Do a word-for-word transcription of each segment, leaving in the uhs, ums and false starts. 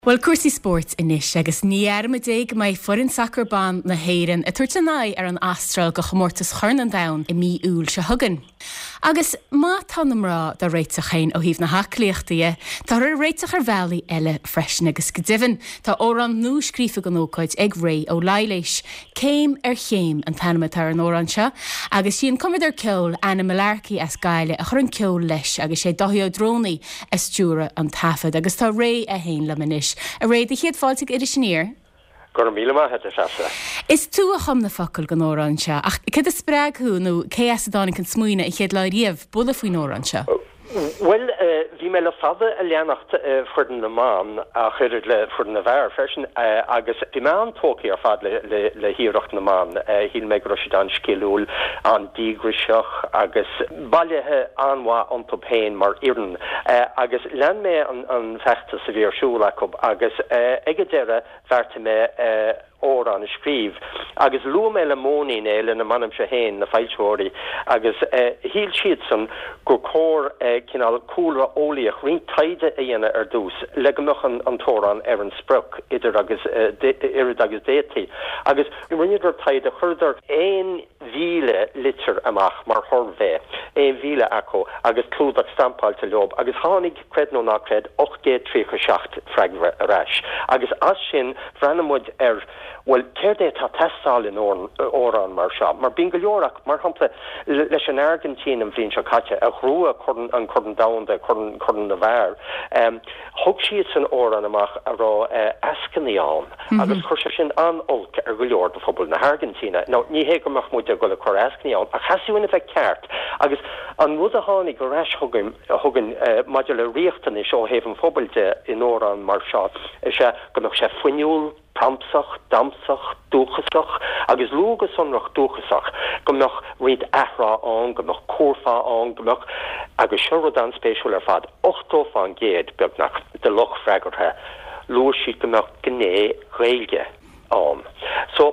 Bhuel, cúrsaí spóirt anois agus ní dhearmad é go mbeidh foireann sacair ban na hÉireann ag tabhairt a n-aghaidh ar an Astráil do chomórtas Chorn an Domhain i mí Iúil seo chugainn. Agus má tá na mná dá réiteach féin ó thaobh na haclaíochta dhe, táthar á réiteach ar bhealaí eile freisin agus go deimhin tá amhrán nua scríofa don ócáid ag Ré Ó Laighléis. Céim ar Chéim an t-ainm atá ar an amhrán seo agus sí an cumadóir ceoil Anna Mullarkey as Gaillimh a chuir an ceol leis agus sé Dáithí Ó Drónaí a stiúraigh an taifead agus tá Ré é féin liom anois. A Ré, do chéad fáilte go Iris Aniar. Go raibh míle maith agat, a Threasa. Is tú a chum na focail don amhrán seo, ach céard a spreag thú nó cé as a dtáinig an smaoineamh an chéad lá riamh bualadh faoin amhrán seo? Bhuel, bhí mé le fada ag leanacht foireann na mban ach oiread le foireann na bhfear freisin agus bhí mé an-tógtha ar fad le hiarracht na mban. Shíl mé go raibh siad an-sciliúil, an-díograiseach agus bailithe an-mhaith iontu féin mar fhoireann agus lean mé an feachtas a bhí ar siúl acu agus ag an deireadh bheartaigh mé amhrán a scríobh agus luaigh mé le Móinín é, lena mbainimse féin, na foilsitheoirí, agus shíl siadsan gur chóir cineál cúlra eolaíoch, roinnt taighde a dhéanamh ar dtús le go mbeadh an t-amhrán ar an sprioc idir agus oiread agus d'fhéadfaí. Agus rinneadar taighde, chuireadar aon mhíle litir amach mar shuirbhé, aon mhíle acu agus clúdach stampáilte leo agus tháinig, creid nó ná creid, ocht gcéad tríocha seacht freagra ar ais. Agus as sin bhreathnaigh muid ar, bhuel, céard é atá ag teastáil in amhrán mar seo? Mar bíonn go leor acu, mar shampla, leis an Airgintín an bhliain seo caite, a ghnóthaigh an Corn Domhanda, Corn na bhFear, thug siadsan amhrán amach a raibh eascainí ann agus chuir sé sin an-olc ar go leor de phobal na hAirgintíne. Now, ní hé go mbeadh muid ag dul ag cur eascainí ann, ach theastaigh uainn a bheith ceart agus an rud a tháinig ar ais chugainn, chugainn maidir le riachtanais ó thaobh an phobail de in amhrán mar seo is ea go mbeadh sé fuinniúil, pramsach, damsach, dúchasach, agus luadh go sonrach dúchasach, go mbeadh roinnt athrá ann, go mbeadh curfá ann, go mbeadh, agus seo rud an-spéisiúil ar fad, ochtó fán gcéad, beagnach, de lucht freagartha, luaigh siad go mbeadh gné Ghaeilge ann. So,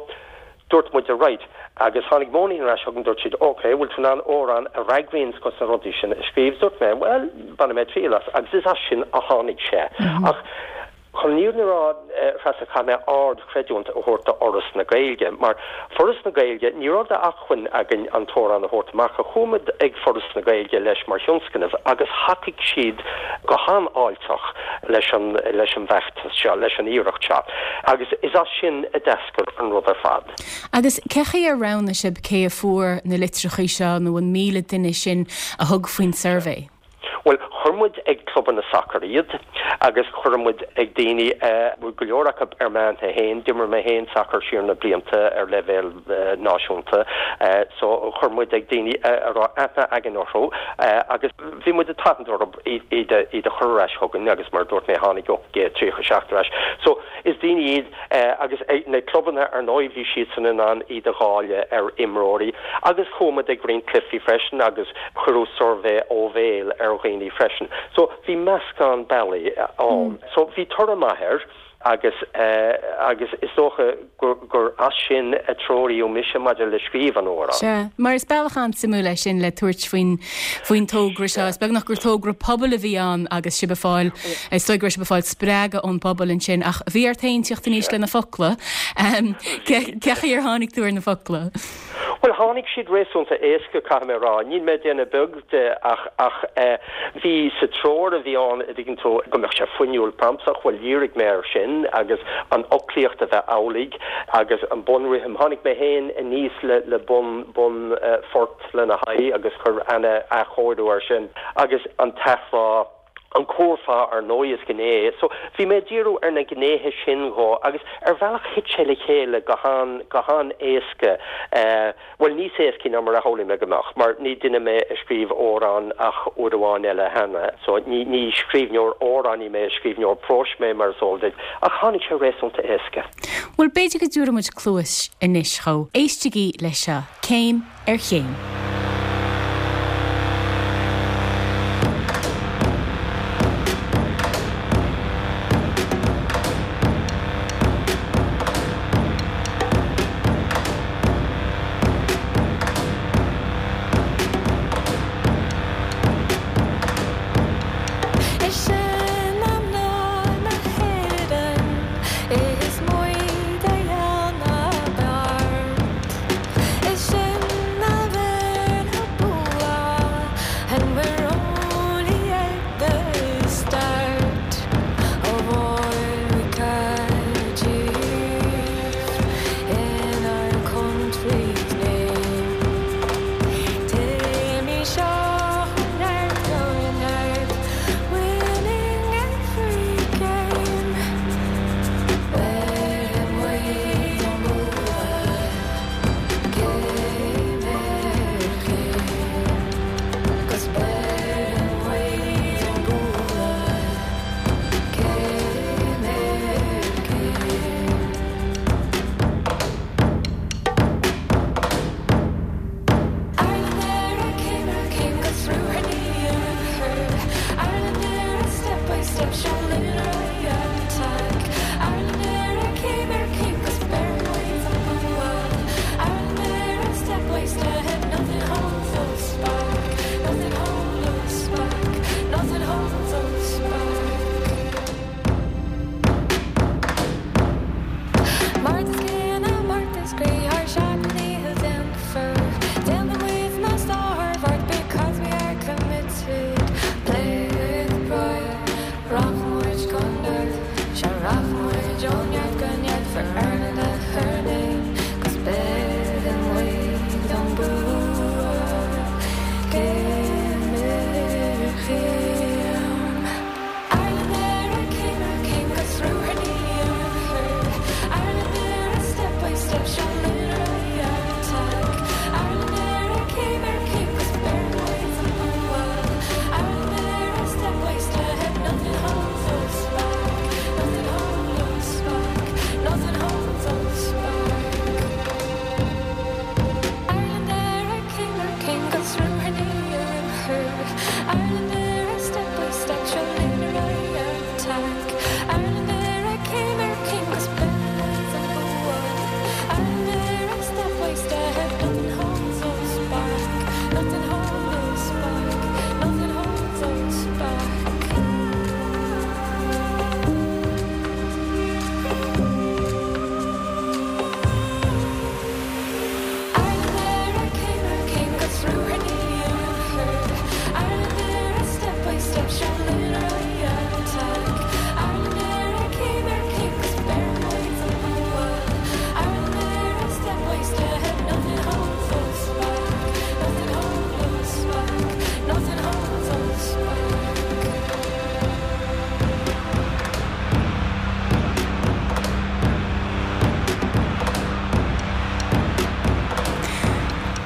dúirt muid, right, agus tháinig Móinín ar ais chugainn, dúirt siad, ok, bhfuil tú in ann amhrán a fhreagraíonn dos na rudaí sin a scríobh? Dúirt mé, bhuel, bainfidh mé triail as, agus is as sin a tháinig sé. Ach chun an fhírinne a rá, a Threasa, caithfidh mé ard-chreidiúint a thabhairt do Fhoras na Gaeilge, mar Foras na Gaeilge, ní raibh d'acmhainn againn an t-amhrán a thabhairt amach, ach chuaigh muid ag Foras na Gaeilge leis mar thionscnamh agus thacaigh siad go han-fháilteach leis an leis an bhfeachtas seo, leis an iarracht seo, agus is as sin a d'eascair an rud ar fad. Agus cé chaoi ar roghnaigh sibh cé a fuair na litreachaí seo nó an míle duine sin a thug faoin suirbhé? Bhuel, chuir muid ag clubanna sacair iad agus chuir muid ag daoine, bhfuil go leor acu ar m'aithne féin, d'imir mé féin sacar siar na blianta ar leibhéal náisiúnta, so chuir muid ag daoine a raibh aithne againn orthu agus bhí muid ag tathant orthu iad a chur ar ais chugainn agus mar a dúirt mé tháinig ocht gcéad tríocha seacht ar ais. So is daoine iad Agus na clubanna, ar ndóigh, bhí siadsan in ann iad a dháileadh ar imreoirí. Agus chuaigh muid ag roinnt cluichí freisin agus cuireadh suirbhé ó bhéal ar dhaoine freisin. So bhí meascán bealaí ann. So bhí toradh maith air agus agus is dócha gur gur as sin a treoraíodh mise maidir le scríobh an amhráin. Sea, mar is bealach an-suimiúil é sin le tabhairt faoin faoin togra seo. Is beagnach gur togra pobail a bhí ann agus sibh ag fáil Is dóigh go raibh sibh ag fáil spreagadh ón bpobal ansin ach bhí ort féin teacht aníos le na focla. Cé chaoi ar tháinig tú ar na focla? Bhuel, tháinig siad réasúnta éasca, caithfidh mé a rá. Níl mé ag déanamh beag de ach ach bhí sa treoir a bhí ann, a dtuigeann tú, go mbeadh sé fuinniúil pramsach, bhuel dhírigh mé air sin agus an fhoclaíocht a bheith amhlaidh agus an bunrithim. Tháinig mé féin aníos le le bun bun phort lena haghaidh agus chuir Anna athchóiriú air sin agus an t-athrá. An curfá, ar ndóigh, is gné. So, bhí mé ag díriú ar na gnéithe sin dhó agus ar bhealach thit sé le chéile go han, go han-éasca. Bhuel, níos éascaí ná mar a shamhlaigh mé go mbeadh, mar ní duine mé a scríobh amhrán ach uair amháin eile cheana. So, ní, ní scríbhneoir amhránaí mé, is scríbhneoir próis mé, mar is eol duit, ach tháinig sé réasúnta éasca. Bhuel, b'fhéidir go dtabharfaidh muid cluas anois dhó. Éistigí leis seo, Céim ar Chéim. Is seanamhnán na hÉireann.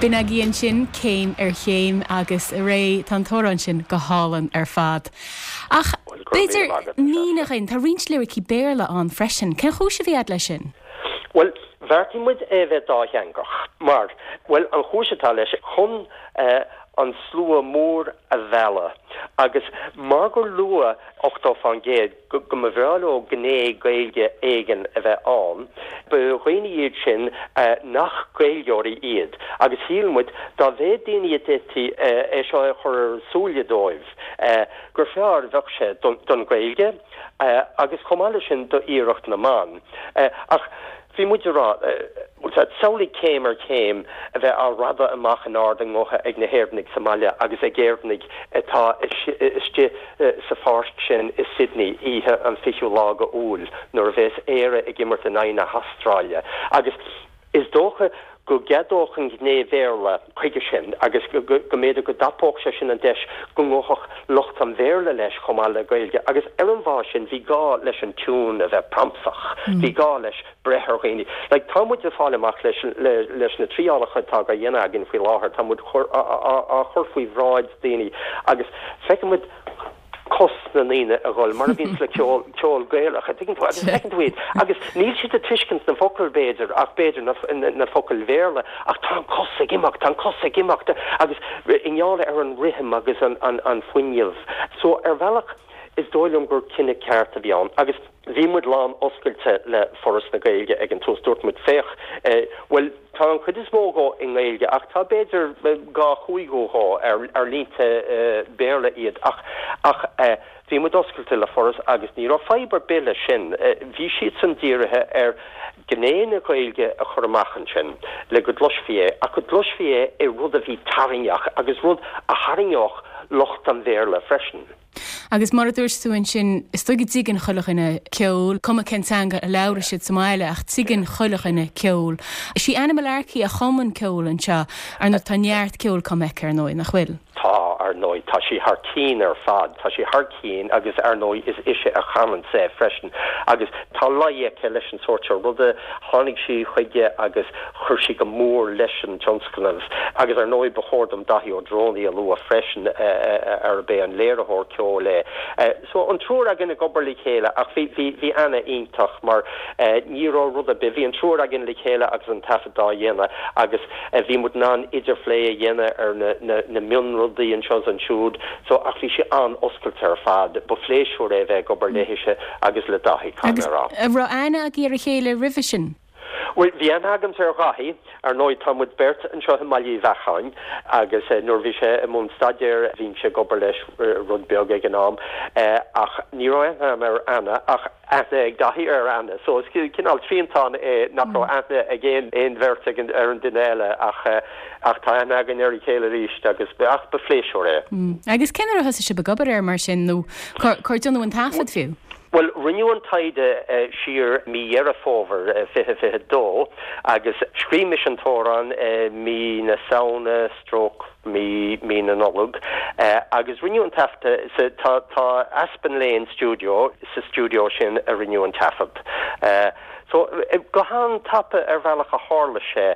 B'in agaibh ansin céim ar chéim agus a Ray tá an t-amhrán sin go hálainn ar fad. Ach b'fhéidir mínigh dúinn tá roinnt liricí Béarla ann freisin, Cén chúis a bhí agat leis sin? Well, bheartaigh muid é bheith dátheangach mar well an chúis atá leis chun uh, an slua mór a mhealladh agus mar gur luadh ochtó faoin gcéad go mba bhreá leo gné Gaeilge éigin a bheith ann, ba dhaoine iad sin uh, nach Gaeilgeoirí iad agus shíl muid dá mhéad daoine a d'fhéadfaí uh, é seo a chur ar súile dóibh uh, gur fearr bheadh sé don, don Ghaeilge uh, agus chomh maith leis sin do iarracht na mban. Uh, ach Bhí muid ag rá samhlaigh céim ar chéim a bheith á rabhadh amach in ard a ngutha ag na hÉireannaigh sa mbaile agus ag Éireannaigh atá istigh sa pháirc sin i Sydney oíche an fichiú lá d'Iúil nuair a bheas Éire ag imirt in aghaidh na hAstráile. Agus is dócha go gceadódh an ghné Bhéarla chuige sin agus go mb'fhéidir go dtapódh sé sin an deis go ngabhfadh lucht an Bhéarla leis chomh maith le Gaeilge agus ar an bhfáth sin bhí gá leis an tiún a bheith pramsach, bhí gá leis breith ar dhaoine. Like, tá muid ag fáil amach leis, le, leis na trialacha atá á dhéanamh againn faoi láthair, tá muid á chur faoi bhráid daoine agus feicimid cos na ndaoine a dhul mar a bhíonn le ceol ceol Gaelach a tuigeann tú agus feiceann tú iad agus níl siad ag tuiscint na focail b'fhéidir ach b'fhéidir na, na, na focail Bhéarla ach tá an cos ag imeacht tá an cos ag imeacht agus i ngeall ar an rithim agus an, an, an fuinneamh. So ar bhealach is dóigh liom gur cinneadh ceart a bhí ann agus bhí muid lán oscailte le Foras na Gaeilge ag an tús dúirt muid féach eh, well tá an chuid is mó dhó i nGaeilge ach tá b'fhéidir dhá chúigiú dhó ar ar línte uh, Béarla iad ach ach uh, bhí muid oscailte le Foras agus ní raibh fadhb ar bith leis sin uh, bhí siad san dírithe ar gné na Gaeilge a chur amach ansin le go gcloisfí é ach go gcloisfí é i rud a bhí tarraingteach agus rud a tharraingeodh lucht an Bhéarla freisin. Agus mar a dúirt tú ansin is dóigh go dtuigeann chuile dhuine ceol, cuma cén teanga a labhrann siad sa mbaile ach tuigeann chuile dhuine ceol. Is í Anna Mullarkey a chum an ceol anseo ar ndóigh tá neart ceoil cumtha aici ar ndóigh nach bhfuil. Tá ar ndóigh tá sí thar cinn ar fad, tá sí thar cinn agus ar ndóigh is ise a chanann é freisin. agus tá luí aici leis an sórt seo ruda tháinig sí chuige agus chuir sí go mór leis an tionscnamh agus ar ndóigh ba chóir dom Daithí Ó Drónaí a lua freisin arb é an léiritheoir ceoil é. So an triúr againn ag obair le chéile ach bhí bhí bhí Anna iontach mar ní raibh rud ar bith bhí an triúr againn le chéile agus an taifead á dhéanamh agus bhí muid in ann idirphlé a dhéanamh ar na, na, na mionrudaí anseo is ansiúd, so ach bhí sé an-oscailte ar fad, ba phléisiúr é bheith ag obair léise agus le Daithí Agus raibh aithne agaibh ar a chéile roimhe sin? Well bhí aithne agamsa ar Dhaithí ar ndóigh tá muid beirt anseo i mBaile Uí Bheacháin agus eh, nuair bhí sé i mbun staidéir bhí sé ag obair leis eh, rud beag ag an am eh, ach ní raibh aithne ar Anna ach aithne ag Daithí ar Anna so is cineál triantán é nach raibh aithne ag aon aon bheirt ag ar an duine eile ach ach tá aithne againn ar a chéile arís agus ach ba phléisiúr é. Mm. Agus cén uair a thosaigh sibh ag obair air mar sin nó cár déanadh an taifead fiú? Bhuel, rinneadh an taighde siar mí Dheireadh Fómhair fiche fiche dó agus scríobh mise an t-amhrán mí na Samhna stroke mí mí na Nollag agus rinneadh an taifead sa tá tá Aspen Lane Studio sa stiúideo sin a rinneadh an taifead. So go han-tapa ar bhealach a tharla sé.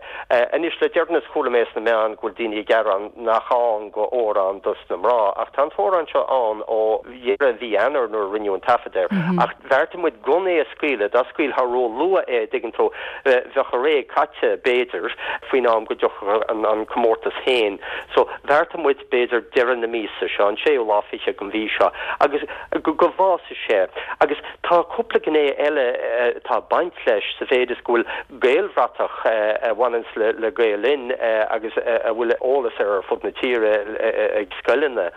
Anois le deireanas chuala mé sna meáin go bhfuil daoine ag gearán nach ann go amhrán dos na mná, ach tá an t-amhrán seo ann ó dheireadh mhí Eanáir nuair a rinneadh an taifead air. Ach bheartaigh muid gan é a scaoileadh, dá scaoilfeá ró-luath é, dtuigeann tú, bheadh a ré caite, b'fhéidir, faoin am go dtiocfadh an comórtas féin. So bheartaigh muid b'fhéidir deireadh na míosa seo, an séú lá fichead den mhí seo, agus go bhfásfaidh sé. Agus tá cúpla gné eile atá ag baint leis sa mhéid is go bhfuil Gaelbhratach a bhaineanns le Gael Linn agus a bhfuil eolas air ar fud na tíre ag scoileanna.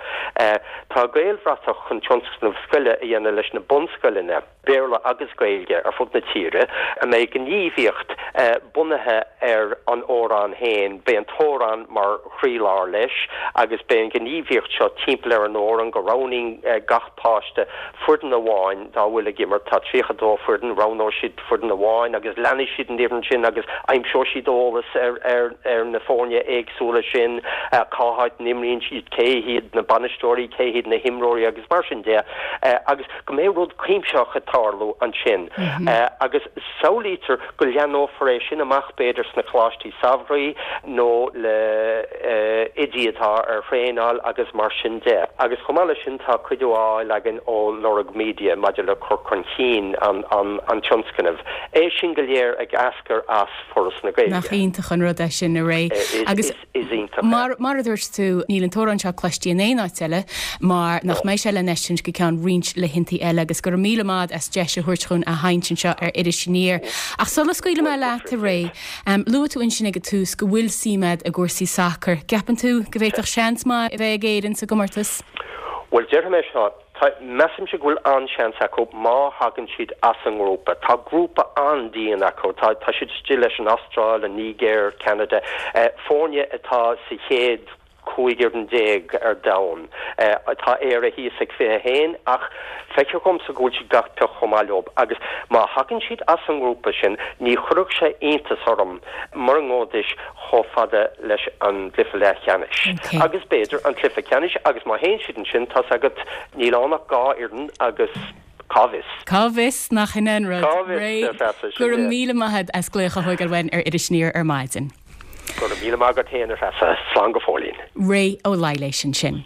Tá Gaelbhratach chun tionscnamh scoile a dhéanamh leis na bunscoileanna, Béarla agus Gaeilge, ar fud na tíre, a mbeidh gníomhaíocht bunaithe ar an amhrán féin. Beidh an t-amhrán mar chroílár leis agus beidh an ghníomhaíocht seo timpeall ar an amhrán, go roghnaíonn gach páiste foireann amháin dá bhfuil ag imirt, tá tríocha dó foireann, roghnóidh siad foireann amháin agus leanfaidh siad an fhoireann sin agus aimseoidh siad eolas ar ar ar na foirne éagsúla sin, cá háit a n-imríonn siad, cé hiad na bainisteoirí, cé hiad na himreoirí agus mar sin de agus go mbeidh rud cuimsitheach ag tarlú ansin agus samhlaítear go leathnófar é sin amach b'fhéidir sna coláistí samhraidh nó le oidí atá ar thraenáil agus mar sin de. Agus chomh maith leis sin tá cuidiú á fháil againn ó Lorg Media maidir le cur chun cinn an tionscnaimh. É sin go léir ag eascair as Foras na Gaeilge. Nach iontach an rud é sin, a Ray. Agus Is iontach é. mar mar a dúirt tú, níl an t-amhrán seo cloiste in aon áit eile mar nach mbeidh sé le feiscint go ceann roinnt laethantaí eile agus go raibh míle maith as deis a thabhairt dhúinn a sheinnt anseo ar Iris Aniar. Ach sula scaoilfidh mé leat, a Ray, luaigh tú ansin ag an tús go bhfuil suim agat i gcúrsaí sacair. Gceapann tú go bhféadfadh seans maith a bheith ag Éirinn sa gcomórtas? Bhuel, déarfaidh mé seo, tá, measaimse go bhfuil an-seans acu má thagann siad as an ngrúpa. Tá grúpa an-dian acu. Tá, tá siad istigh leis an Astráil, an Nigéir, Ceanada, foirne atá sa chéad cúig fhoireann déag ar domhan. Tá Éire thíos ag fiche a haon ach feictear dhomsa go bhfuil siad gach pioc chomh maith leo agus má thagann siad as an ngrúpa sin ní chuirfeadh sé iontas orm mura ngabhfaidís chomh fada leis an gcluiche leathcheannais agus b'fhéidir an cluiche ceannais agus má théann siad ansin tá's agat níl ann ach dhá fhoireann agus cá bhfios. Cá bhfios nach in aon rud. Cá bhfios, ar feadh Go raibh míle maith agat as glaoch a thógáil uainn ar Iris Aniar ar maidin. Go raibh míle maith agat féin, a Threasa. Slán go fóillín. Ray Ó Laighléis ansin.